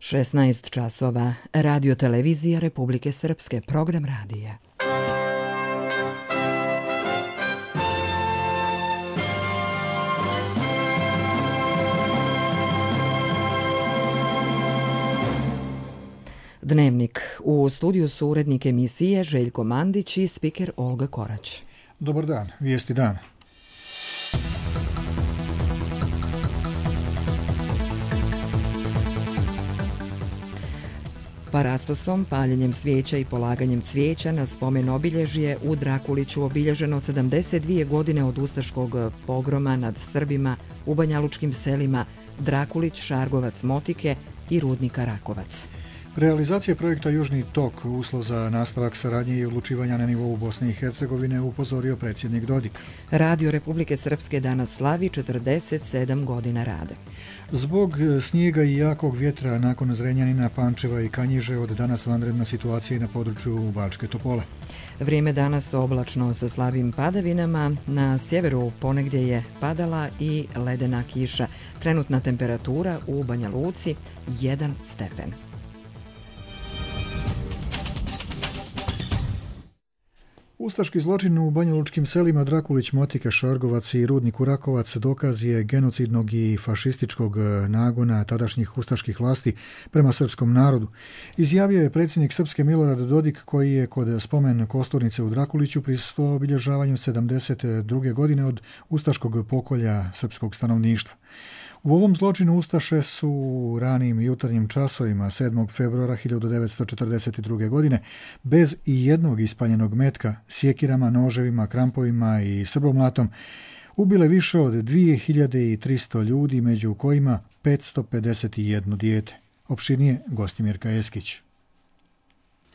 16 časova. Radio televizija Republike Srpske. Program radija. Dnevnik. U studiju su urednik emisije Željko Mandić i spiker Olga Korać. Dobar dan, vijesti dana. Parastosom, paljenjem svijeća i polaganjem cvijeća na spomen obilježje u Drakuliću obilježeno 72 godine od ustaškog pogroma nad Srbima u banjalučkim selima Drakulić, Šargovac, Motike i Rudnika Rakovac. Realizacija projekta Južni tok, uslov za nastavak saradnje i odlučivanja na nivou Bosne i Hercegovine, upozorio predsjednik Dodik. Radio Republike Srpske danas slavi 47 godina rada. Zbog snijega i jakog vjetra nakon Zrenjanina, Pančeva i Kanjiže od danas vanredna situacija na području Bačke Topole. Vrijeme danas oblačno sa slabim padavinama. Na sjeveru ponegdje je padala i ledena kiša. Trenutna temperatura u Banja Luci 1 stepen. Ustaški zločin u banjalučkim selima Drakulić, Motika, Šargovac i Rudniku Rakovac dokaz je genocidnog i fašističkog nagona tadašnjih ustaških vlasti prema srpskom narodu. Izjavio je predsjednik Srpske Milorad Dodik, koji je kod spomen kosturnice u Drakuliću prisustvovao obilježavanjem 72. godine od ustaškog pokolja srpskog stanovništva. U ovom zločinu ustaše su u ranim jutarnjim časovima 7. februara 1942. godine bez i jednog ispaljenog metka, sjekirama, noževima, krampovima i srbomlatom ubile više od 2300 ljudi, među kojima 551 dijete. Opširnije Gostimirka Eskić.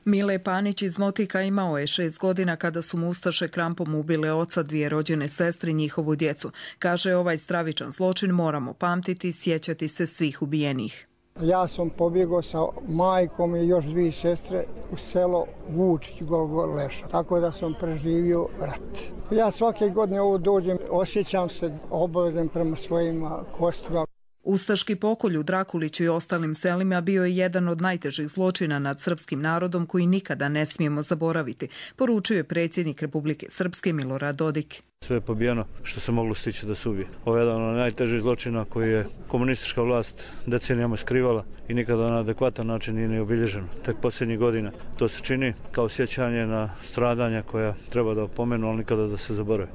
Mile Panić iz Motika imao je 6 godina kada su mu ustaše krampom ubile oca, 2 rođene sestre i njihovu djecu. Kaže, ovaj stravičan zločin moramo pamtiti i sjećati se svih ubijenih. Ja sam pobjegao sa majkom i još 2 sestre u selo Vučić, Golgor Leša. Tako da sam preživio rat. Ja svake godine ovo dođem, osjećam se obavezan prema svojim kostima. Ustaški pokolj u Drakuliću i ostalim selima bio je jedan od najtežih zločina nad srpskim narodom koji nikada ne smijemo zaboraviti, poručio je predsjednik Republike Srpske Milorad Dodik. Sve je pobijeno što se moglo stići da se ubije. Ovo je jedan od najtežih zločina koji je komunistička vlast decenijama skrivala i nikada na adekvatan način nije ni obilježeno. Tek posljednjih godina to se čini kao sjećanje na stradanja koja treba da opomenu, ali nikada da se zaborave.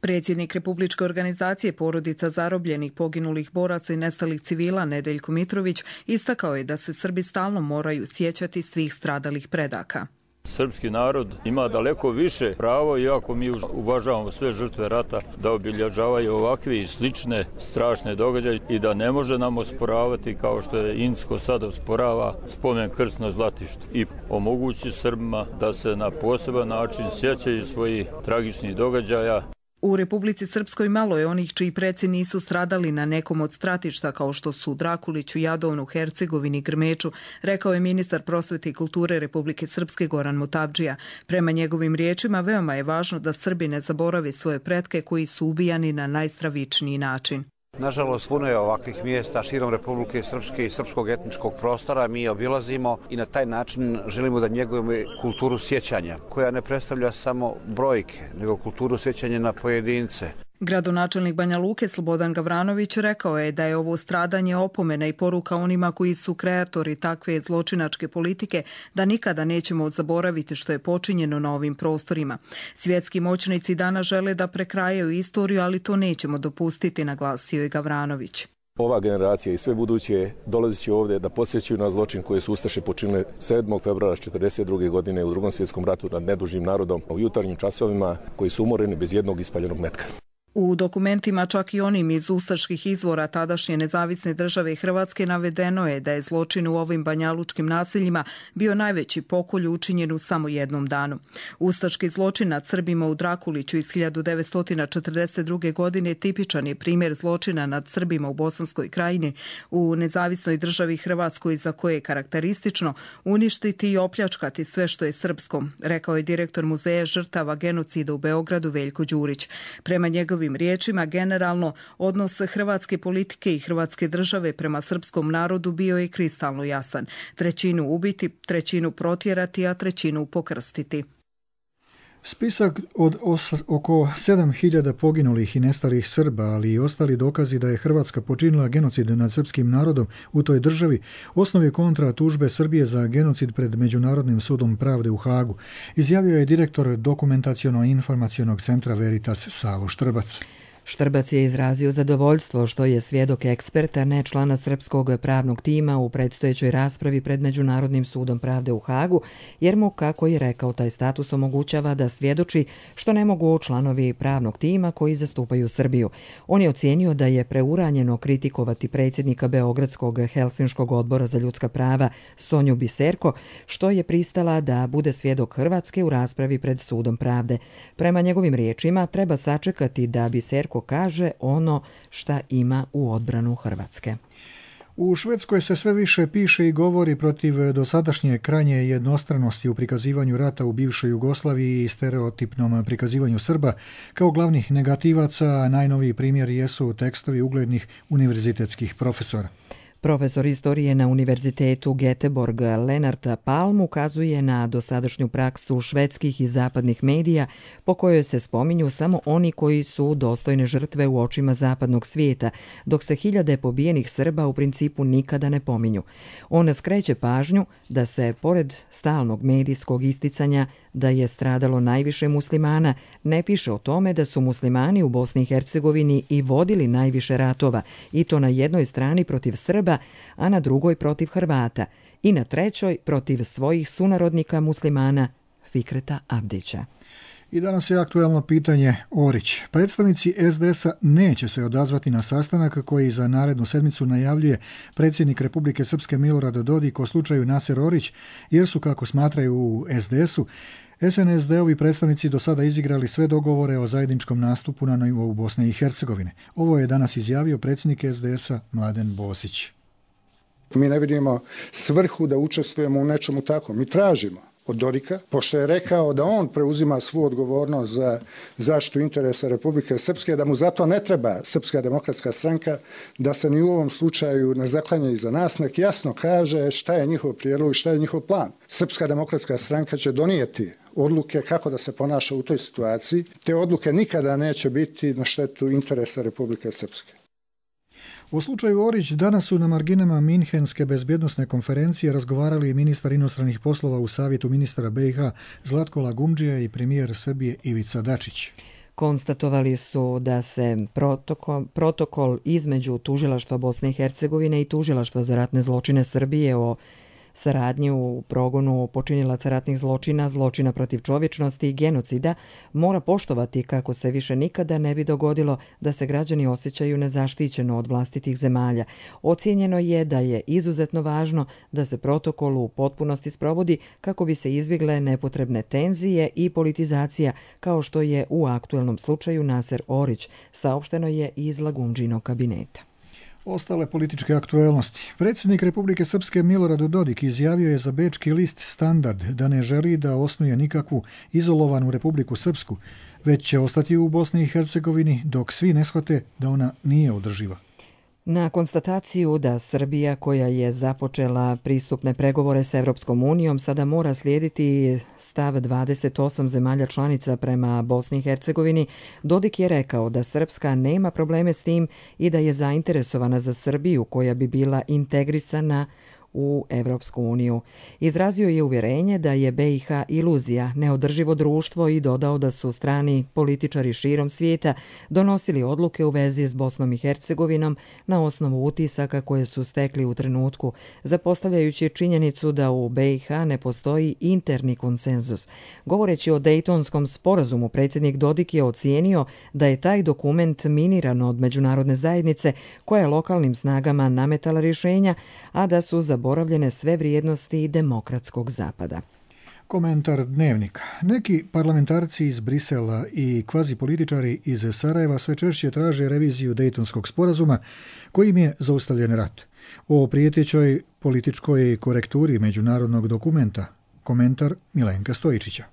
Predsjednik Republičke organizacije porodica zarobljenih, poginulih boraca i nestalih civila Nedeljko Mitrović istakao je da se Srbi stalno moraju sjećati svih stradalih predaka. Srpski narod ima daleko više pravo, iako mi uvažavamo sve žrtve rata, da obilježavaju ovakve i slične strašne događaje i da ne može nam osporavati, kao što je Insko sad osporava, spomen krst na Zlatištu i omogući Srbima da se na poseban način sjećaju svojih tragičnih događaja. U Republici Srpskoj malo je onih čiji preci nisu stradali na nekom od stratišta kao što su Drakuliću, Jadovnu, Hercegovini, Grmeču, rekao je ministar prosvete i kulture Republike Srpske Goran Mutabdžija. Prema njegovim riječima veoma je važno da Srbi ne zaborave svoje pretke koji su ubijani na najstravičniji način. Nažalost, puno je ovakvih mjesta širom Republike Srpske i srpskog etničkog prostora. Mi obilazimo i na taj način želimo da njegujemo kulturu sjećanja, koja ne predstavlja samo brojke, nego kulturu sjećanja na pojedince. Gradonačelnik Banja Luke Slobodan Gavranović rekao je da je ovo stradanje opomena i poruka onima koji su kreatori takve zločinačke politike, da nikada nećemo zaboraviti što je počinjeno na ovim prostorima. Svjetski moćnici danas žele da prekrajaju istoriju, ali to nećemo dopustiti, naglasio je Gavranović. Ova generacija i sve buduće dolazit će ovdje da posjećuju na zločin koje su ustaše počinile 7. februara 1942. godine u Drugom svjetskom ratu nad nedužnim narodom u jutarnjim časovima, koji su umoreni bez jednog ispaljenog metka. U dokumentima, čak i onim iz ustaških izvora tadašnje nezavisne države Hrvatske, navedeno je da je zločin u ovim banjalučkim naseljima bio najveći pokolj učinjen u samo jednom danu. Ustaški zločin nad Srbima u Drakuliću iz 1942. godine tipičan je primjer zločina nad Srbima u Bosanskoj krajini u nezavisnoj državi Hrvatskoj, za koje je karakteristično uništiti i opljačkati sve što je srpsko, rekao je direktor Muzeja žrtava genocida u Beogradu Veljko Đurić. Prema njegovim njegovim riječima, generalno odnos hrvatske politike i hrvatske države prema srpskom narodu bio je kristalno jasan. 1/3 ubiti, 1/3 protjerati, a 1/3 pokrstiti. Spisak od oko 7.000 poginulih i nestalih Srba, ali i ostali dokazi da je Hrvatska počinila genocid nad srpskim narodom u toj državi, osnov je kontra tužbe Srbije za genocid pred Međunarodnim sudom pravde u Hagu, izjavio je direktor Dokumentaciono-informacionog centra Veritas Savo Štrbac. Štrbac je izrazio zadovoljstvo što je svjedok eksperta, ne člana srpskog pravnog tima u predstojećoj raspravi pred Međunarodnim sudom pravde u Hagu, jer mu, kako je rekao, taj status omogućava da svjedoči što ne mogu članovi pravnog tima koji zastupaju Srbiju. On je ocijenio da je preuranjeno kritikovati predsjednika Beogradskog Helsinškog odbora za ljudska prava Sonju Biserko, što je pristala da bude svjedok Hrvatske u raspravi pred sudom pravde. Prema njegovim riječima, treba sačekati da Biserko kaže ono šta ima u odbranu Hrvatske. U Švedskoj se sve više piše i govori protiv dosadašnje krajnje jednostranosti u prikazivanju rata u bivšoj Jugoslaviji i stereotipnom prikazivanju Srba kao glavnih negativaca, a najnoviji primjer jesu tekstovi uglednih univerzitetskih profesora. Profesor istorije na Univerzitetu Göteborg Lennart Palm ukazuje na dosadašnju praksu švedskih i zapadnih medija po kojoj se spominju samo oni koji su dostojne žrtve u očima zapadnog svijeta, dok se hiljade pobijenih Srba u principu nikada ne pominju. On skreće pažnju da se, pored stalnog medijskog isticanja da je stradalo najviše muslimana, ne piše o tome da su muslimani u Bosni i Hercegovini i vodili najviše ratova, i to na jednoj strani protiv Srba, a na drugoj protiv Hrvata, i na trećoj protiv svojih sunarodnika muslimana Fikreta Abdića. I danas je aktuelno pitanje Orić. Predstavnici SDS-a neće se odazvati na sastanak koji za narednu sedmicu najavljuje predsjednik Republike Srpske Milorad Dodik o slučaju Naser Orić, jer su, kako smatraju u SDS-u, SNSD-ovi predstavnici do sada izigrali sve dogovore o zajedničkom nastupu na nivou Bosne i Hercegovine. Ovo je danas izjavio predsjednik SDS-a Mladen Bosić. Mi ne vidimo svrhu da učestvujemo u nečemu tako. Mi tražimo od Dodika, pošto je rekao da on preuzima svu odgovornost za zaštitu interesa Republike Srpske, da mu zato ne treba Srpska demokratska stranka, da se ni u ovom slučaju ne zaklanja iza nas, nek jasno kaže šta je njihov prijedlog i šta je njihov plan. Srpska demokratska stranka će donijeti odluke kako da se ponaša u toj situaciji. Te odluke nikada neće biti na štetu interesa Republike Srpske. U slučaju Orić danas su na marginama Minhenske bezbjednosne konferencije razgovarali ministar inostranih poslova u savjetu ministara BiH Zlatko Lagumdžija i premijer Srbije Ivica Dačić. Konstatovali su da se protokol između Tužilaštva Bosne i Hercegovine i Tužilaštva za ratne zločine Srbije o saradnji u progonu počinilaca ratnih zločina, zločina protiv čovječnosti i genocida mora poštovati kako se više nikada ne bi dogodilo da se građani osjećaju nezaštićeno od vlastitih zemalja. Ocijenjeno je da je izuzetno važno da se protokol u potpunosti sprovodi kako bi se izbjegle nepotrebne tenzije i politizacija, kao što je u aktuelnom slučaju Naser Orić, saopšteno je iz Lagumdžinog kabineta. Ostale političke aktuelnosti. Predsjednik Republike Srpske Milorad Dodik izjavio je za bečki list Standard da ne želi da osnuje nikakvu izolovanu Republiku Srpsku, već će ostati u Bosni i Hercegovini dok svi ne shvate da ona nije održiva. Na konstataciju da Srbija, koja je započela pristupne pregovore s Evropskom unijom, sada mora slijediti stav 28 zemalja članica prema Bosni i Hercegovini, Dodik je rekao da Srpska nema probleme s tim i da je zainteresovana za Srbiju koja bi bila integrisana u Evropsku uniju. Izrazio je uvjerenje da je BiH iluzija, neodrživo društvo i dodao da su strani političari širom svijeta donosili odluke u vezi s Bosnom i Hercegovinom na osnovu utisaka koje su stekli u trenutku, zapostavljajući činjenicu da u BiH ne postoji interni konsenzus. Govoreći o Dejtonskom sporazumu, predsjednik Dodik je ocijenio da je taj dokument miniran od međunarodne zajednice koja je lokalnim snagama nametala rješenja, a da su zaboravljene sve vrijednosti demokratskog zapada. Komentar Dnevnika. Neki parlamentarci iz Brisela i kvazipolitičari iz Sarajeva sve češće traže reviziju Dejtonskog sporazuma kojim je zaustavljen rat. O prijetećoj političkoj korekturi međunarodnog dokumenta. Komentar Milenka Stojičića.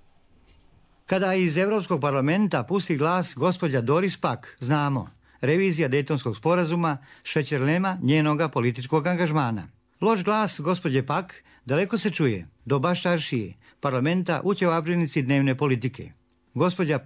Kada iz Europskog parlamenta pusti glas gospođa Doris Pack, znamo, revizija Dejtonskog sporazuma šećer nema njenoga političkog angažmana. Loš glas gospođe Pack daleko se čuje do Baščaršije, parlamenta u ćevabdžinici dnevne politike. Gospođa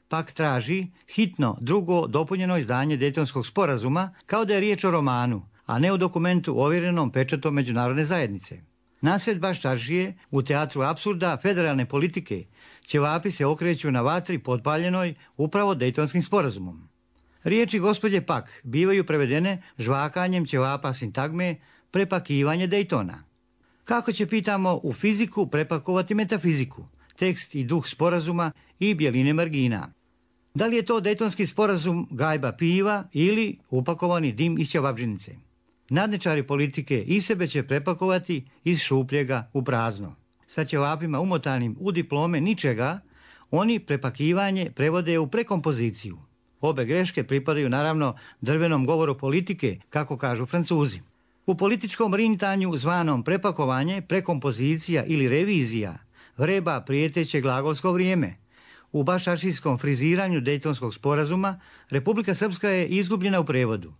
Pack traži hitno drugo dopunjeno izdanje Dejtonskog sporazuma kao da je riječ o romanu, a ne o dokumentu ovjerenom pečatom međunarodne zajednice. Nasred Baščaršije, u teatru apsurda federalne politike, ćevapi se okreću na vatri potpaljenoj upravo Dejtonskim sporazumom. Riječi gospođe Pack bivaju prevedene žvakanjem ćevapa sintagme prepakivanje Dejtona. Kako će, pitamo, u fiziku prepakovati metafiziku, tekst i duh sporazuma i bjeline margina? Da li je to Dejtonski sporazum gajba piva ili upakovani dim iz ćevabdžinice? Nadničari politike i sebe će prepakovati iz šupljega u prazno. Sa ćevapima umotanim u diplome ničega, oni prepakivanje prevode u prekompoziciju. Obe greške pripadaju naravno drvenom govoru politike, kako kažu Francuzi. U političkom rintanju zvanom prepakovanje, prekompozicija ili revizija vreba prijeteće glagolsko vrijeme. U baščaršijskom friziranju Dejtonskog sporazuma Republika Srpska je izgubljena u prevodu.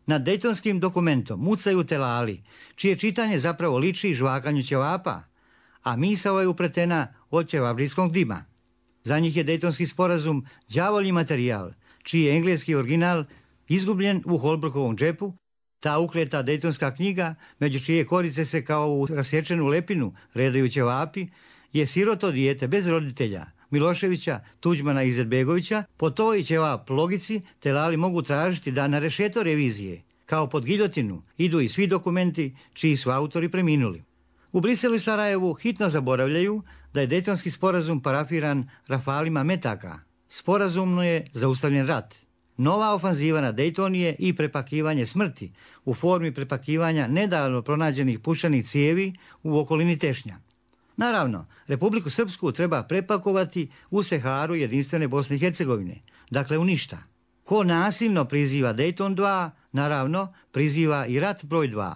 Nad Dejtonskim dokumentom mucaju telali, čije čitanje zapravo liči žvakanju ćevapa, a misao je upletena od ćevabdžijskog dima. Za njih je Dejtonski sporazum đavolji materijal, čiji je engleski original izgubljen u Holbrookovom džepu, ta ukleta Dejtonska knjiga, među čije korice se kao u rasječenu lepinu redaju ćevapi, je siroto dijete bez roditelja, Miloševića, Tuđmana i Izetbegovića. Po toj ćevap logici telali mogu tražiti da na rešeto revizije, kao pod giljotinu, idu i svi dokumenti čiji su autori preminuli. U Briselu i Sarajevu hitno zaboravljaju da je Dejtonski sporazum parafiran rafalima metaka. Sporazumno je zaustavljen rat. Nova ofanziva na Dejtonije i prepakivanje smrti u formi prepakivanja nedavno pronađenih pušanih cijevi u okolini Tešnja. Naravno, Republiku Srpsku treba prepakovati u Seharu jedinstvene Bosne i Hercegovine, dakle u ništa. Ko nasilno priziva Dejton 2, naravno priziva i rat broj 2.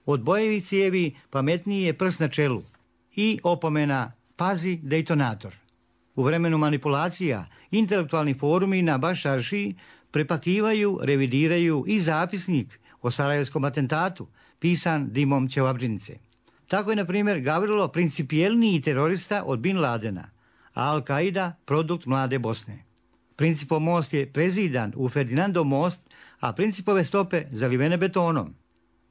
Od bojevih cijevi pametniji je prst na čelu i opomena pazi Dejtonator. U vremenu manipulacija intelektualni forumi na Baščaršiji prepakivaju, revidiraju i zapisnik o sarajevskom atentatu, pisan dimom ćevabdžinice. Tako je, na primjer, Gavrilo principijelniji terorista od Bin Ladena, a Al-Qaida produkt mlade Bosne. Principov most je prezidan u Ferdinandov most, a principove stope zalivene betonom.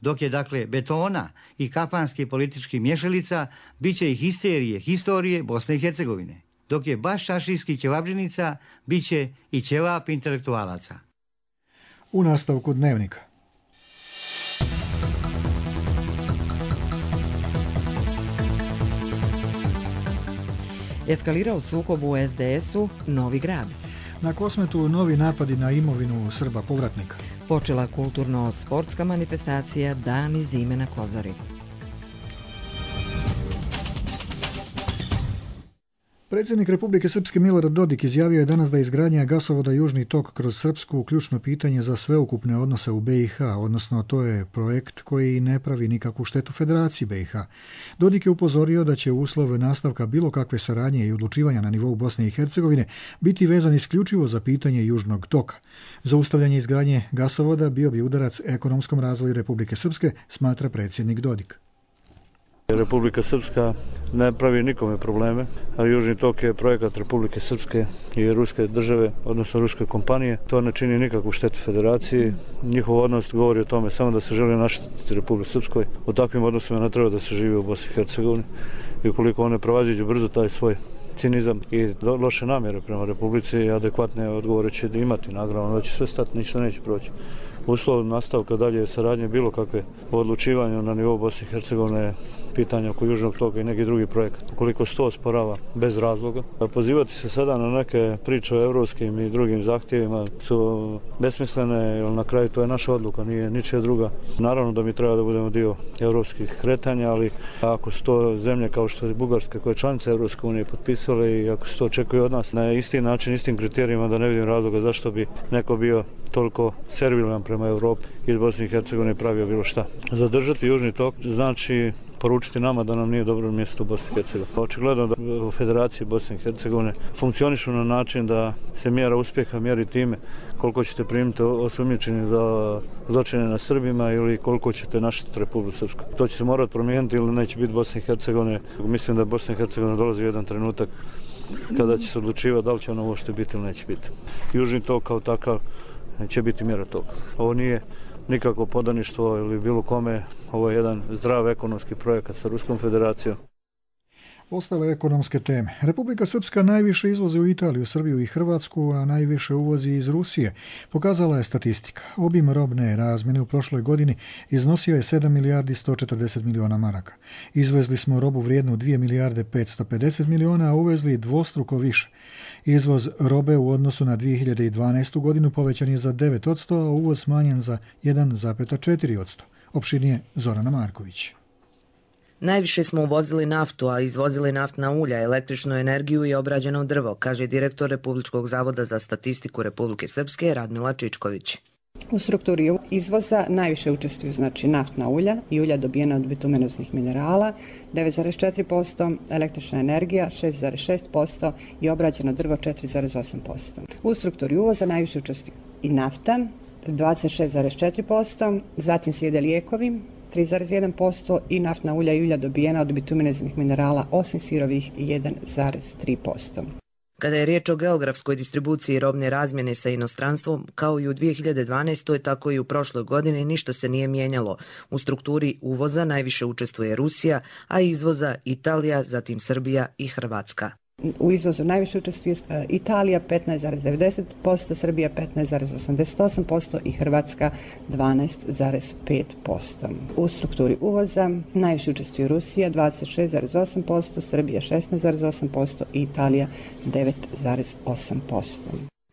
Dok je, dakle, betona i kafanskih političkih mješalica, bit će i histerije, historije Bosne i Hercegovine. Dok je baščaršijski ćevabdžinica, bit će i ćevap intelektualaca. U nastavku Dnevnika. Eskalirao sukob u SDS-u, Novi Grad. Na Kosmetu novi napadi na imovinu Srba povratnika. Počela kulturno-sportska manifestacija Dani zime na Kozari. Predsjednik Republike Srpske Milorad Dodik izjavio je danas da je izgradnja gasovoda Južni tok kroz Srpsku ključno pitanje za sveukupne odnose u BiH, odnosno to je projekt koji ne pravi nikakvu štetu Federaciji BiH. Dodik je upozorio da će uslov nastavka bilo kakve saradnje i odlučivanja na nivou Bosne i Hercegovine biti vezan isključivo za pitanje Južnog toka. Zaustavljanje izgradnje gasovoda bio bi udarac ekonomskom razvoju Republike Srpske, smatra predsjednik Dodik. Republika Srpska ne pravi nikome probleme, ali Južni tok je projekat Republike Srpske i ruske države, odnosno ruske kompanije. To ne čini nikakvu štetu Federaciji. Njihov odnos govori o tome samo da se želi naštetiti Republike Srpskoj. U takvim odnosima ne treba da se živi u Bosni i Hercegovini. I ukoliko one prevaziđu brzo taj svoj cinizam i loše namjere prema Republici, adekvatne odgovore će imati. Naravno da će sve stati, ništa neće proći. Uslov nastavka dalje saradnje bilo kakve odlučivanja na nivou Bosne i Hercegovine, pitanja oko Južnog toka i neki drugi projekat. Ukoliko se to osporava bez razloga, pozivati se sada na neke priče o evropskim i drugim zahtjevima su besmislene, jer na kraju to je naša odluka, nije ničija druga. Naravno da mi treba da budemo dio evropskih kretanja, ali ako su to zemlje kao što je Bugarska, koja je članica Evropske unije, potpisale i ako se to očekuje od nas na isti način, istim kriterijima, da ne vidim razloga zašto bi neko bio toliko servilan prema Evropi iz Bosne i Hercegovine pravio bilo šta. Zadržati Južni tok znači poručiti nama da nam nije dobro mjesto u Bosni i Hercegovini. Očigledno da u Federaciji Bosne i Hercegovine funkcionišu na način da se mjera uspjeha mjeri time koliko ćete primiti osumnjičeni za zločine na Srbima ili koliko ćete našiti Republiku Srpsku. To će se morati promijeniti ili neće biti Bosne i Hercegovine. Mislim da Bosna i Hercegovina dolazi u jedan trenutak kada će se odlučivati da li će ono uopšte biti ili neće biti. Južni tok kao takav će biti mjera toga. Ovo nije nikakvo podaništvo ili bilo kome, ovo je jedan zdrav ekonomski projekat sa Ruskom federacijom. Ostale ekonomske teme. Republika Srpska najviše izvozi u Italiju, Srbiju i Hrvatsku, a najviše uvozi iz Rusije. Pokazala je statistika. Obim robne razmjene u prošloj godini iznosio je 7 milijardi 140 miliona maraka. Izvezli smo robu vrijednu 2 milijarde 550 miliona, a uvezli dvostruko više. Izvoz robe u odnosu na 2012. godinu povećan je za 9%, a uvoz smanjen za 1,4%. Opširnije Zorana Marković. Najviše smo uvozili naftu, a izvozili naftna ulja, električnu energiju i obrađeno drvo, kaže direktor Republičkog zavoda za statistiku Republike Srpske Radmila Čičković. U strukturi izvoza najviše učestvuju naftna ulja i ulja dobijena od bitumenoznih minerala 9,4%, električna energija 6,6% i obrađeno drvo 4,8%. U strukturi uvoza najviše učestvuju i nafta 26,4%, zatim slijede lijekovi 3,1% i naftna ulja i ulja dobijena od bitumenoznih minerala osim sirovih 1,3%. Kada je riječ o geografskoj distribuciji robne razmjene sa inostranstvom, kao i u 2012. tako i u prošloj godini ništa se nije mijenjalo. U strukturi uvoza najviše učestvuje Rusija, a izvoza Italija, zatim Srbija i Hrvatska. U izvozu najviše učestvuje Italija 15,90%, Srbija 15,88% i Hrvatska 12,5%. U strukturi uvoza najviše učestvuje Rusija 26,8%, Srbija 16,8% i Italija 9,8%.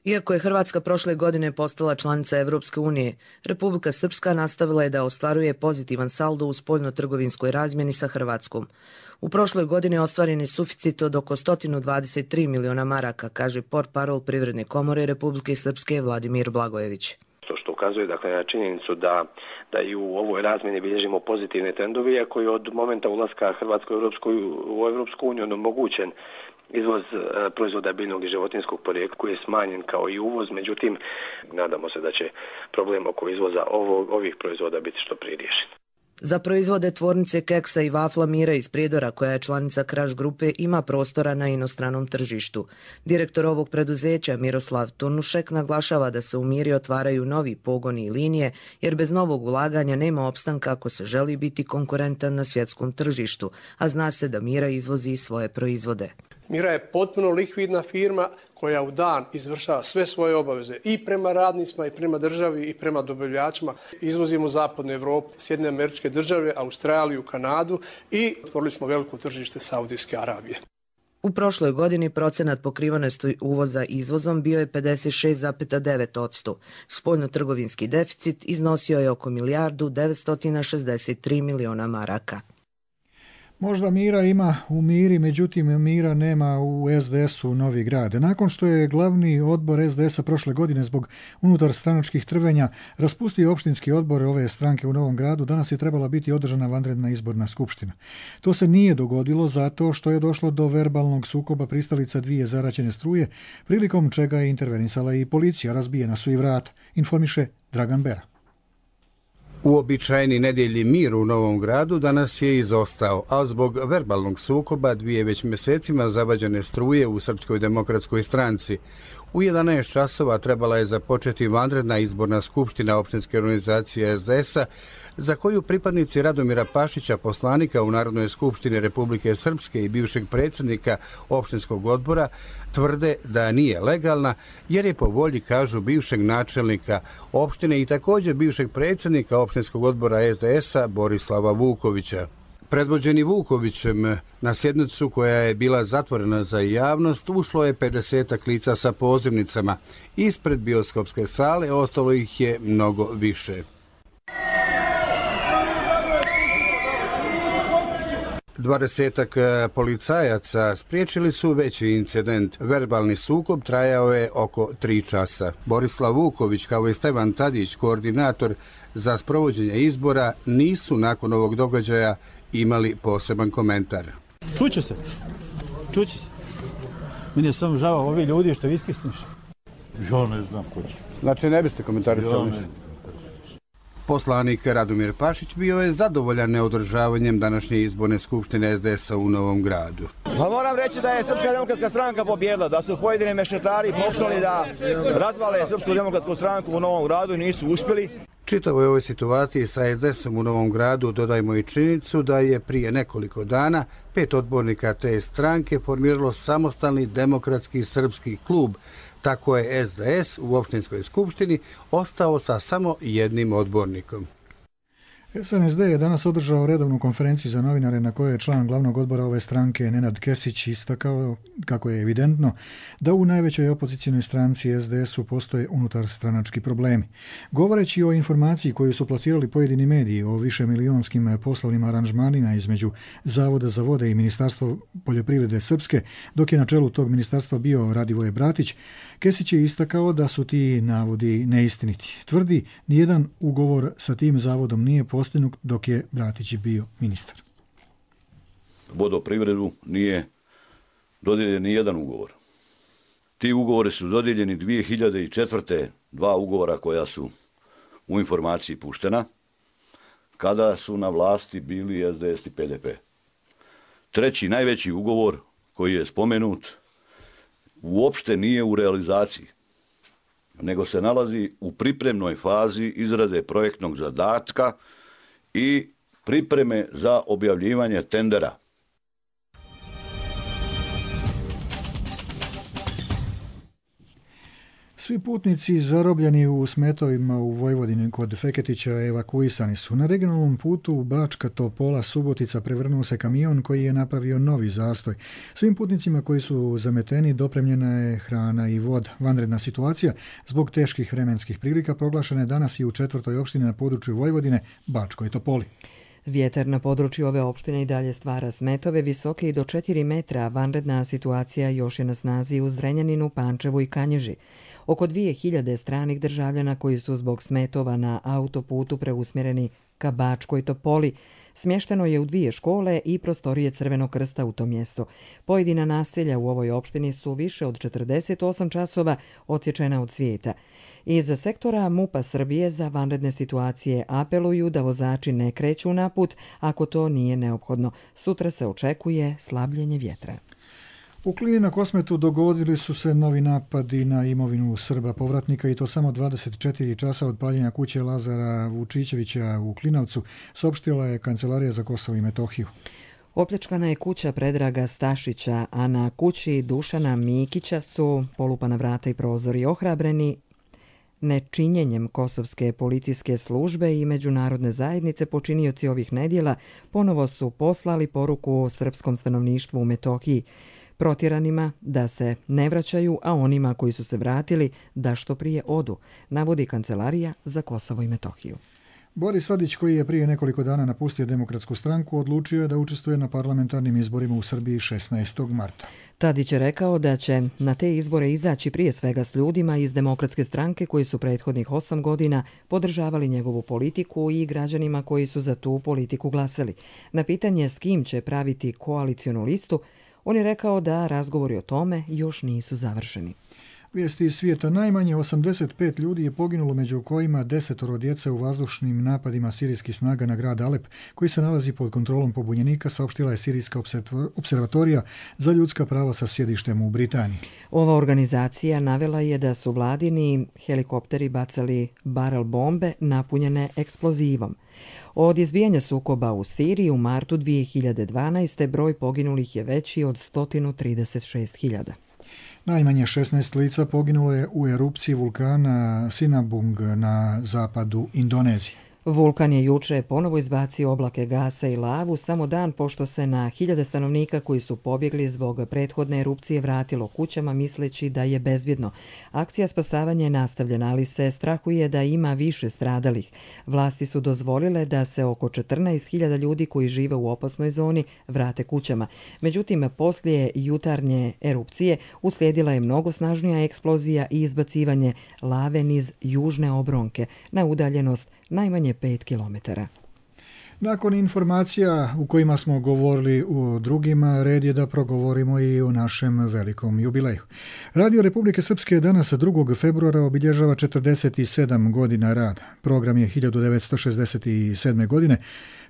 Iako je Hrvatska prošle godine postala članica Evropske unije, Republika Srpska nastavila je da ostvaruje pozitivan saldo u spoljno-trgovinskoj razmjeni sa Hrvatskom. U prošloj godini ostvaren je suficit od oko 123 miliona maraka, kaže portparol Privredne komore Republike Srpske Vladimir Blagojević. Što ukazuje na činjenicu da i u ovoj razmjeni bilježimo pozitivne trendove, iako je od momenta ulaska Hrvatske u Evropsku uniju omogućen izvoz proizvoda biljnog i životinjskog porijekla koji je smanjen kao i uvoz, međutim nadamo se da će problem oko izvoza ovih proizvoda biti što prije riješen. Za proizvode tvornice keksa i vafla Mira iz Prijedora, koja je članica Kraš grupe, ima prostora na inostranom tržištu. Direktor ovog preduzeća Miroslav Turnušek naglašava da se u Miri otvaraju novi pogoni i linije, jer bez novog ulaganja nema opstanka ako se želi biti konkurentan na svjetskom tržištu, a zna se da Mira izvozi svoje proizvode. Mira je potpuno likvidna firma koja u dan izvršava sve svoje obaveze i prema radnicima i prema državi i prema dobavljačima. Izvozimo u zapadnu Evropu, Sjedinjene Američke Države, Australiju, Kanadu i otvorili smo veliko tržište Saudijske Arabije. U prošloj godini procenat pokrivenosti uvoza izvozom bio je 56,9%. Spoljno-trgovinski deficit iznosio je oko milijardu 963 miliona maraka. Možda mira ima u Miri, međutim mira nema u SDS-u Novi Grad. Nakon što je glavni odbor SDS-a prošle godine zbog unutar stranačkih trvenja raspustio opštinski odbor ove stranke u Novom Gradu, danas je trebala biti održana vanredna izborna skupština. To se nije dogodilo zato što je došlo do verbalnog sukoba pristalica dvije zaraćene struje, prilikom čega je intervenisala i policija, razbijena su i vrata, informiše Dragan Bera. Uobičajeni nedjelji mir u Novom Gradu danas je izostao, a zbog verbalnog sukoba dvije već mjesecima zavađene struje u Srpskoj demokratskoj stranci. U 11 časova trebala je započeti vanredna izborna skupština opštinske organizacije SDS-a, za koju pripadnici Radomira Pašića, poslanika u Narodnoj skupštini Republike Srpske i bivšeg predsjednika opštinskog odbora, tvrde da nije legalna, jer je po volji, kažu, bivšeg načelnika opštine i također bivšeg predsjednika opštinskog odbora SDS-a Borislava Vukovića. Predvođeni Vukovićem, na sjednicu koja je bila zatvorena za javnost, ušlo je 50 lica sa pozivnicama. Ispred bioskopske sale ostalo ih je mnogo više. 20 policajaca spriječili su veći incident. Verbalni sukob trajao je oko 3 časa. Borislav Vuković kao i Stevan Tadić, koordinator za sprovođenje izbora, nisu nakon ovog događaja imali poseban komentar. Čuće se. Meni je samo žao ovi ljudi što iskisniš. Ja ne znam ko će. Znači ne biste komentarisali ništa? Poslanik Radomir Pašić bio je zadovoljan neodržavanjem današnje izborne skupštine SDS-a u Novom Gradu. Pa moram reći da je Srpska demokratska stranka pobjedila, da su pojedini mešetari pokušali da razvale Srpsku demokratsku stranku u Novom Gradu i nisu uspjeli. Čitavoj ovoj situaciji sa SDS-om u Novom Gradu dodajmo i činjenicu da je prije nekoliko dana 5 odbornika te stranke formiralo samostalni demokratski srpski klub. Tako je SDS u opštinskoj skupštini ostao sa samo jednim odbornikom. SNSD je danas održao redovnu konferenciju za novinare na kojoj je član glavnog odbora ove stranke Nenad Kesić istakao kako je evidentno da u najvećoj opozicijnoj stranci SDS-u postoje unutarstranački problemi. Govoreći o informaciji koju su plasirali pojedini mediji o višemilijonskim poslovnim aranžmanima između Zavoda za vode i Ministarstvo poljoprivrede Srpske, dok je na čelu tog ministarstva bio Radivoje Bratić, Kesić je istakao da su ti navodi neistiniti. Tvrdi, nijedan ugovor sa tim zavodom nije postignut dok je Bratić bio ministar. Vodoprivredu nije dodijeljen ni jedan ugovor. Ti ugovori su dodijeljeni 2004. 2 ugovora koja su u informaciji puštena, kada su na vlasti bili SDS i PDP. Treći, najveći ugovor koji je spomenut, uopšte nije u realizaciji, nego se nalazi u pripremnoj fazi izrade projektnog zadatka i pripreme za objavljivanje tendera. Svi putnici zarobljeni u smetovima u Vojvodini kod Feketića evakuisani su. Na regionalnom putu Bačka Topola Subotica prevrnuo se kamion koji je napravio novi zastoj. Svim putnicima koji su zameteni dopremljena je hrana i voda. Vanredna situacija zbog teških vremenskih prilika proglašena je danas i u 4. opštini na području Vojvodine, Bačkoj Topoli. Vjetar na području ove opštine i dalje stvara smetove visoke i do 4 metra. Vanredna situacija još je na snazi u Zrenjaninu, Pančevu i Kanjiži. Oko 2000 stranih državljana koji su zbog smetova na autoputu preusmjereni ka Bačkoj Topoli smješteno je u 2 škole i prostorije Crvenog krsta u to mjesto. Pojedina naselja u ovoj opštini su više od 48 časova odsječena od svijeta. Iz sektora MUP-a Srbije za vanredne situacije apeluju da vozači ne kreću na put ako to nije neophodno. Sutra se očekuje slabljenje vjetra. U Klini na Kosmetu dogodili su se novi napadi na imovinu Srba povratnika i to samo 24 časa od paljenja kuće Lazara Vučićevića u Klinovcu, saopštila je Kancelarija za Kosovo i Metohiju. Opljačkana je kuća Predraga Stašića, a na kući Dušana Mikića su polupana vrata i prozori. Ohrabreni nečinjenjem kosovske policijske službe i međunarodne zajednice, počinioci ovih nedjela ponovo su poslali poruku srpskom stanovništvu u Metohiji, protjeranima da se ne vraćaju, a onima koji su se vratili da što prije odu, navodi Kancelarija za Kosovo i Metohiju. Boris Tadić, koji je prije nekoliko dana napustio Demokratsku stranku, odlučio je da učestvuje na parlamentarnim izborima u Srbiji 16. marta. Tadić je rekao da će na te izbore izaći prije svega s ljudima iz Demokratske stranke koji su prethodnih 8 godina podržavali njegovu politiku i građanima koji su za tu politiku glasali. Na pitanje s kim će praviti koalicionu listu, on je rekao da razgovori o tome još nisu završeni. Vijesti iz svijeta: najmanje 85 ljudi je poginulo, među kojima 10 djece u vazdušnim napadima sirijskih snaga na grad Alep, koji se nalazi pod kontrolom pobunjenika, saopštila je Sirijska observatorija za ljudska prava sa sjedištem u Britaniji. Ova organizacija navela je da su vladini helikopteri bacali barel bombe napunjene eksplozivom. Od izbijanja sukoba u Siriji u martu 2012. broj poginulih je veći od 136.000. Najmanje 16 lica poginulo je u erupciji vulkana Sinabung na zapadu Indonezije. Vulkan je juče ponovo izbacio oblake gasa i lavu samo dan pošto se na 1000 stanovnika koji su pobjegli zbog prethodne erupcije vratilo kućama misleći da je bezbjedno. Akcija spasavanja je nastavljena, ali se strahuje da ima više stradalih. Vlasti su dozvolile da se oko 14.000 ljudi koji žive u opasnoj zoni vrate kućama. Međutim, poslije jutarnje erupcije uslijedila je mnogo snažnija eksplozija i izbacivanje lave niz južne obronke na udaljenost najmanje 5 kilometara. Nakon informacija u kojima smo govorili o drugima, red je da progovorimo i o našem velikom jubileju. Radio Republike Srpske danas 2. februara obilježava 47 godina rada. Program je 1967. godine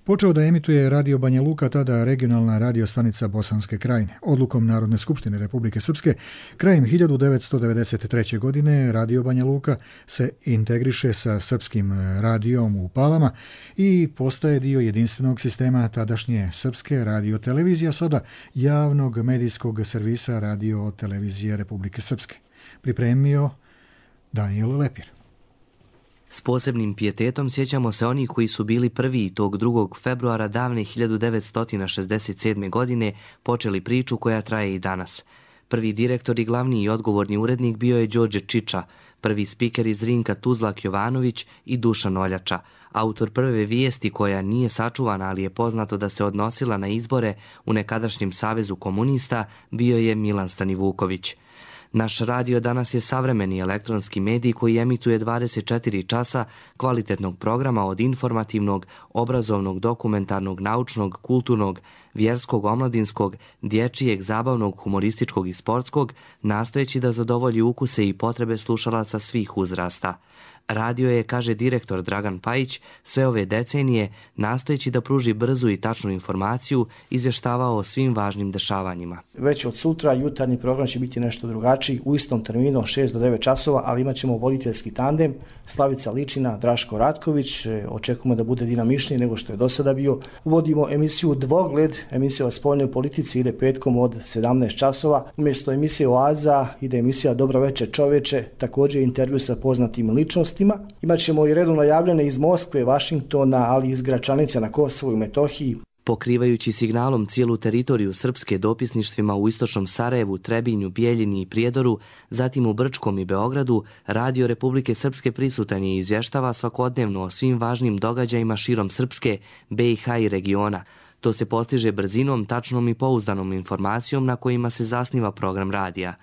počeo da emituje Radio Banja Luka, tada regionalna radio stanica Bosanske Krajine. Odlukom Narodne skupštine Republike Srpske krajem 1993. godine Radio Banja Luka se integriše sa srpskim radijom u Palama i postaje dio jedinstvenog sistema tadašnje srpske radiotelevizija, sada javnog medijskog servisa Radio televizije Republike Srpske. Pripremio Daniel Lepir. S posebnim pijetetom sjećamo se onih koji su bili prvi tog 2. februara davne 1967. godine počeli priču koja traje i danas. Prvi direktor i glavni i odgovorni urednik bio je Đorđe Čiča, prvi spiker iz Rinka Tuzlak Jovanović i Dušan Oljača. Autor prve vijesti koja nije sačuvana, ali je poznato da se odnosila na izbore u nekadašnjem Savezu komunista, bio je Milan Stanivuković. Naš radio danas je savremeni elektronski medij koji emituje 24 časa kvalitetnog programa od informativnog, obrazovnog, dokumentarnog, naučnog, kulturnog, vjerskog, omladinskog, dječijeg, zabavnog, humorističkog i sportskog, nastojeći da zadovolji ukuse i potrebe slušalaca svih uzrasta. Radio je, kaže direktor Dragan Pajić, sve ove decenije, nastojeći da pruži brzu i tačnu informaciju, izvještavao o svim važnim dešavanjima. Već od sutra jutarnji program će biti nešto drugačiji, u istom terminu 6 do 9 časova, ali imat ćemo voditeljski tandem, Slavica Ličina, Draško Ratković, očekujemo da bude dinamičniji nego što je do sada bio. Uvodimo emisiju Dvogled, emisija o spoljnoj politici ide petkom od 17 časova, umjesto emisije Oaza ide emisija Dobro večer čoveče, također intervju sa poznatim ličnostima. Imat ćemo i redovno javljene iz Moskve, Vašingtona, ali i iz Gračanice na Kosovu i Metohiji. Pokrivajući signalom cijelu teritoriju Srpske dopisništvima u istočnom Sarajevu, Trebinju, Bijeljini i Prijedoru, zatim u Brčkom i Beogradu, Radio Republike Srpske prisutan je i izvještava svakodnevno o svim važnim događajima širom Srpske, BiH i regiona. To se postiže brzinom, tačnom i pouzdanom informacijom na kojima se zasniva program radija.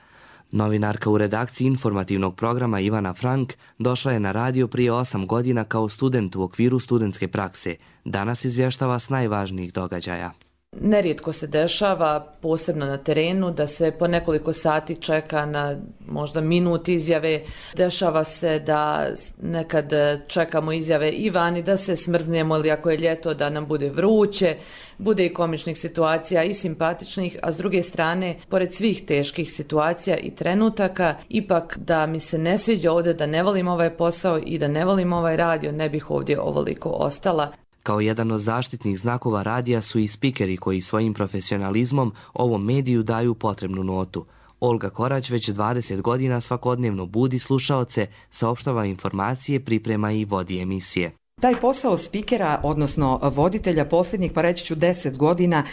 Novinarka u redakciji informativnog programa Ivana Frank došla je na radio prije 8 godina kao student u okviru studentske prakse. Danas izvještava s najvažnijih događaja. Nerijetko se dešava, posebno na terenu, da se po nekoliko sati čeka na možda minut izjave. Dešava se da nekad čekamo izjave i vani, da se smrznemo ili ako je ljeto da nam bude vruće. Bude i komičnih situacija i simpatičnih, a s druge strane, pored svih teških situacija i trenutaka, ipak da mi se ne sviđa ovdje, da ne volim ovaj posao i da ne volim ovaj radio, ne bih ovdje ovoliko ostala. Kao jedan od zaštitnih znakova radija su i spikeri koji svojim profesionalizmom ovom mediju daju potrebnu notu. Olga Korać već 20 godina svakodnevno budi slušaoce, saopštava informacije, priprema i vodi emisije. Taj posao spikera, odnosno voditelja posljednjih, pa reći ću 10 godina,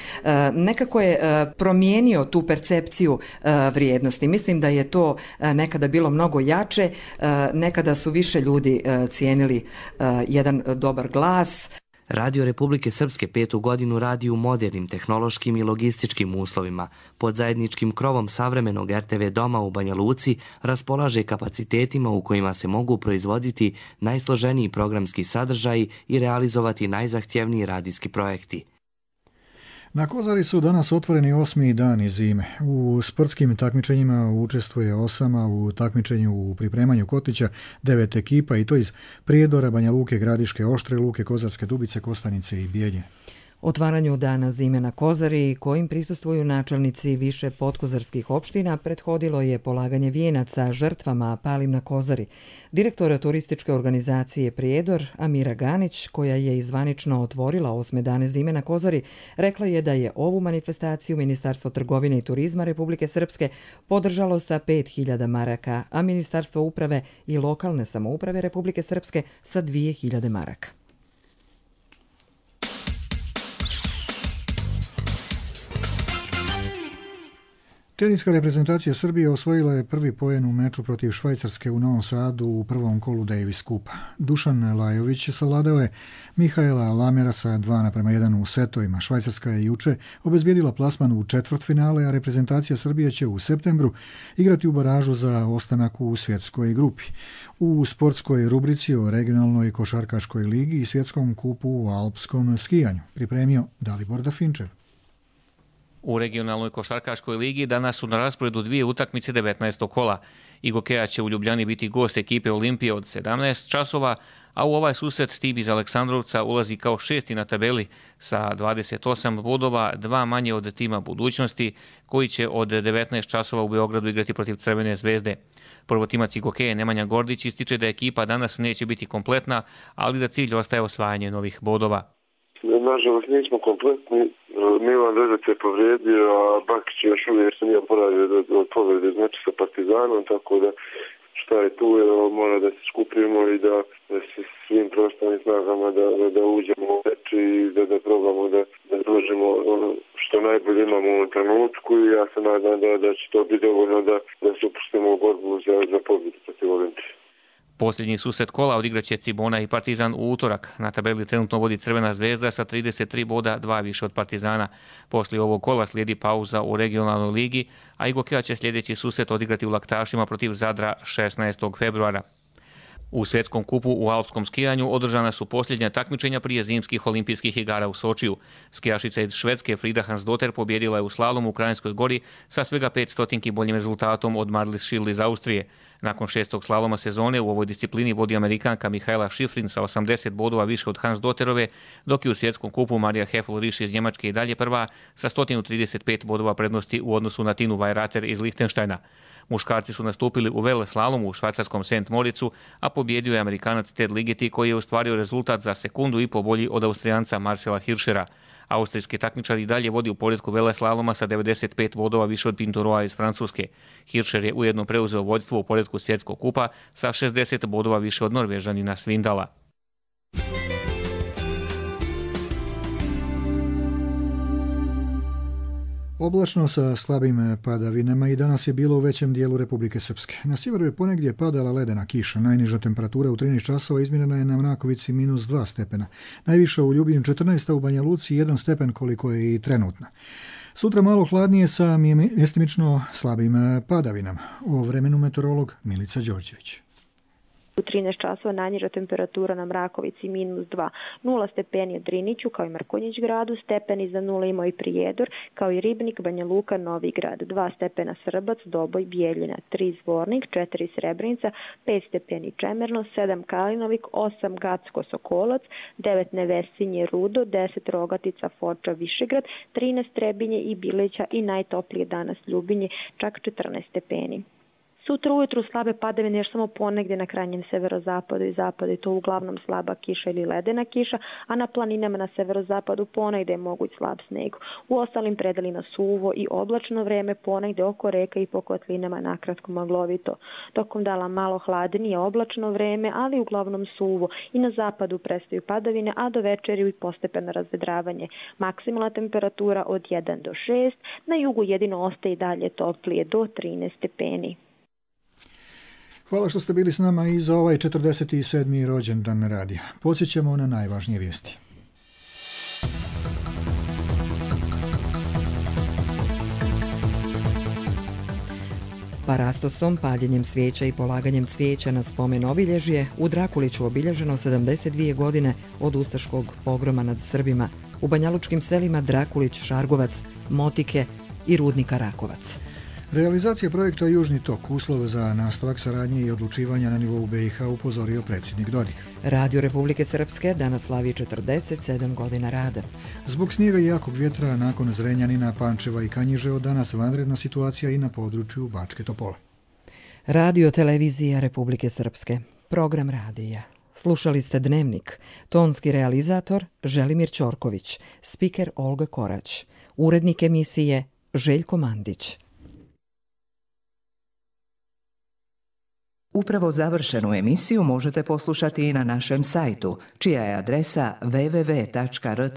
nekako je promijenio tu percepciju vrijednosti. Mislim da je to nekada bilo mnogo jače, nekada su više ljudi cijenili jedan dobar glas. Radio Republike Srpske 5. godinu radi u modernim tehnološkim i logističkim uslovima. Pod zajedničkim krovom savremenog RTV doma u Banja Luci raspolaže kapacitetima u kojima se mogu proizvoditi najsloženiji programski sadržaji i realizovati najzahtjevniji radijski projekti. Na Kozari su danas otvoreni 8. dani zime. U sportskim takmičenjima učestvuje 8, a u takmičenju u pripremanju kotlića 9 ekipa i to iz Prijedora, Banja Luke, Gradiške, Oštre Luke, Kozarske Dubice, Kostanice i Bijeljine. Otvaranju dana zime na Kozari, kojim prisustvuju načelnici više podkozarskih opština, prethodilo je polaganje vijenaca žrtvama palim na Kozari. Direktora turističke organizacije Prijedor, Amira Ganić, koja je izvanično otvorila 8. dane zime na Kozari, rekla je da je ovu manifestaciju Ministarstvo trgovine i turizma Republike Srpske podržalo sa 5.000 maraka, a Ministarstvo uprave i lokalne samouprave Republike Srpske sa 2.000 maraka. Teniska reprezentacija Srbije osvojila je prvi poen u meču protiv Švajcarske u Novom Sadu u prvom kolu Davis Kupa. Dušan Lajović savladao je Mihaela Lamera sa 2:1 u setovima. Švajcarska je juče obezbijedila plasman u četvrtfinale, a reprezentacija Srbije će u septembru igrati u baražu za ostanak u svjetskoj grupi. U sportskoj rubrici o regionalnoj košarkaškoj ligi i svjetskom kupu u alpskom skijanju pripremio Dalibor Dafinčev. U regionalnoj košarkaškoj ligi danas su na rasporedu dvije utakmice 19. kola. Igokea će u Ljubljani biti gost ekipe Olimpije od 17 časova, a u ovaj susret tim iz Aleksandrovca ulazi kao šesti na tabeli sa 28 bodova, dva manje od tima Budućnosti, koji će od 19 časova u Beogradu igrati protiv Crvene zvezde. Prvotimac Igokeje Nemanja Gordić ističe da ekipa danas neće biti kompletna, ali da cilj ostaje osvajanje novih bodova. Nažalost nismo kompletni. Milan Vezac je povrijedio, a Bakić još uvijek se nije oporavio od povrede znači sa Partizanom, tako da šta je tu, mora da se skupimo i da se svim prostornim snagama da uđemo u meč i da probamo da dođemo što najbolje imamo u ovom trenutku i ja se nadam da će to biti dovoljno da se upustimo u borbu za pobjedu protiv Olimpije. Posljednji susret kola odigraće Cibona i Partizan u utorak. Na tabeli trenutno vodi Crvena zvezda sa 33 boda, 2 više od Partizana. Poslije ovog kola slijedi pauza u regionalnoj ligi, a Igokea će sljedeći susret odigrati u Laktašima protiv Zadra 16. februara. U svjetskom kupu u alpskom skijanju održana su posljednja takmičenja prije zimskih olimpijskih igara u Sočiju. Skijašica iz Švedske Frida Hansdotter pobjedila je u slalomu u Krajinskoj gori sa svega 500 boljim rezultatom od Marlis Schill iz Austrije. Nakon 6. slaloma sezone u ovoj disciplini vodi Amerikanka Mihaela Schifrin sa 80 bodova više od Hansdotterove, dok je u svjetskom kupu Marija Heffel-Risch iz Njemačke i dalje prva sa 135 bodova prednosti u odnosu na Tinu Weirater iz Lichtensteina. Muškarci su nastupili u veleslalomu u švajcarskom St. Moricu, a pobjedio je Amerikanac Ted Ligeti koji je ostvario rezultat za sekundu i po bolji od Austrijanca Marcela Hirschera. Austrijski takmičar i dalje vodi u poretku veleslaloma sa 95 bodova više od Pinturoa iz Francuske. Hirscher je ujedno preuzeo vođstvo u poretku svjetskog kupa sa 60 bodova više od Norvežanina Svindala. Oblačno sa slabim padavinama i danas je bilo u većem dijelu Republike Srpske. Na sjeveru je ponegdje padala ledena kiša. Najniža temperatura u 13 časova izmjerena je na Mrakovici -2 stepena. Najviša u Ljubinju 14, u Banja Luci 1 stepen koliko je i trenutna. Sutra malo hladnije sa mjestimično slabim padavinama. O vremenu meteorolog Milica Đorđević. U 13 časova najniža temperatura na Mrakovici -2, 0 stepeni u Driniću kao i Mrkonjić gradu, stepeni za 0 imao i Prijedor, kao i Ribnik, Banja Luka, Novi grad, 2 stepena Srbac, Doboj, Bijeljina, 3 Zvornik, 4 Srebrenica, 5 stepeni Čemerno, 7 Kalinovik, 8 Gacko, Sokolac, 9 Nevesinje, Rudo, 10 Rogatica, Foča, Višegrad, 13 Trebinje i Bileća i najtoplije danas Ljubinje, čak 14 stepeni. Sutra ujutru slabe padavine još samo ponegdje na krajnjem severozapadu i zapadu, to uglavnom slaba kiša ili ledena kiša, a na planinama na severozapadu ponegdje je moguć slab sneg. U ostalim predelima suvo i oblačno vreme, ponegdje oko reka i po kotlinama nakratko maglovito. Tokom dana malo hladnije oblačno vreme, ali uglavnom suvo i na zapadu prestaju padavine, a do večeri i postepeno razvedravanje. Maksimalna temperatura od 1 do 6, na jugu jedino ostaje i dalje toplije do 13 stepeni. Hvala što ste bili s nama i za ovaj 47. rođendan radija. Podsjećamo na najvažnije vijesti. Parastosom, paljenjem svijeća i polaganjem cvijeća na spomen obilježje u Drakuliću obilježeno 72 godine od ustaškog pogroma nad Srbima u banjalučkim selima Drakulić, Šargovac, Motike i Rudnika Rakovac. Realizacija projekta Južni tok, uslov za nastavak saradnje i odlučivanja na nivou BiH, upozorio predsjednik Dodik. Radio Republike Srpske danas slavi 47 godina rada. Zbog snijega i jakog vjetra nakon Zrenjanina, Pančeva i Kanjiže od danas vanredna situacija i na području Bačke Topole. Radio Televizija Republike Srpske. Program radija. Slušali ste Dnevnik. Tonski realizator Želimir Ćorković. Spiker Olga Korać. Urednik emisije Željko Mandić. Upravo završenu emisiju možete poslušati i na našem sajtu, čija je adresa www.rtrs.tv.